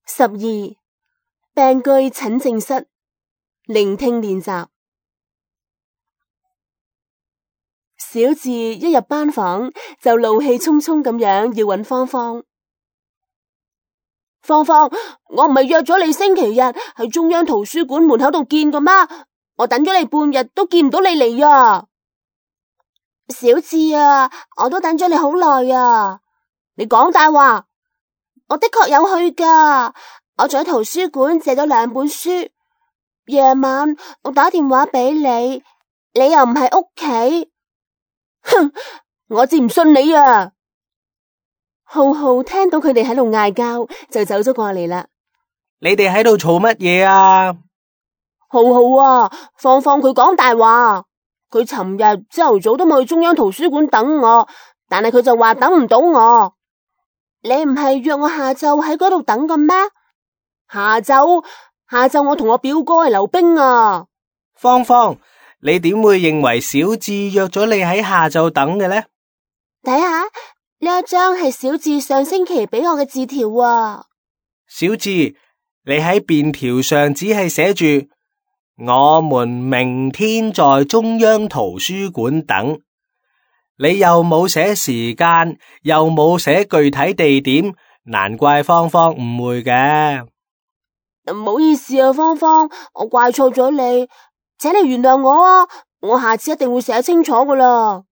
12病句診症室聆聽練習。小智一入班房就怒氣沖沖咁樣要搵芳芳。芳芳，我唔係約咗你星期日喺中央圖書館門口度見㗎咩？我等咗你半日都見唔到你嚟啊！小智啊，我都等咗你好耐啊！你講大話，我的確有去㗎。我在圖書館借咗2本書，夜晚我打電話俾你，你又唔喺屋企。哼，我至唔信你啊！浩浩聽到佢哋喺度嗌交，就走咗過嚟啦。你哋喺度嘈乜嘢啊？浩浩啊，芳芳佢講大話，佢尋日朝頭早都冇去中央圖書館等我，但係佢就話等唔到我。你唔係約我下晝喺嗰度等嘅咩？下晝我同我表哥係溜冰啊。芳芳，你點會認為小智約咗你喺下晝等嘅呢？睇下呢一張係小智上星期俾我嘅字條啊。小智，你喺便條上只係寫住我們明天在中央圖書館等，你又冇寫時間，又冇寫具體地點，難怪芳芳誤會嘅。唔好意思啊，芳芳，我怪錯咗你，請你原諒我啊！我下次一定會寫清楚噶啦。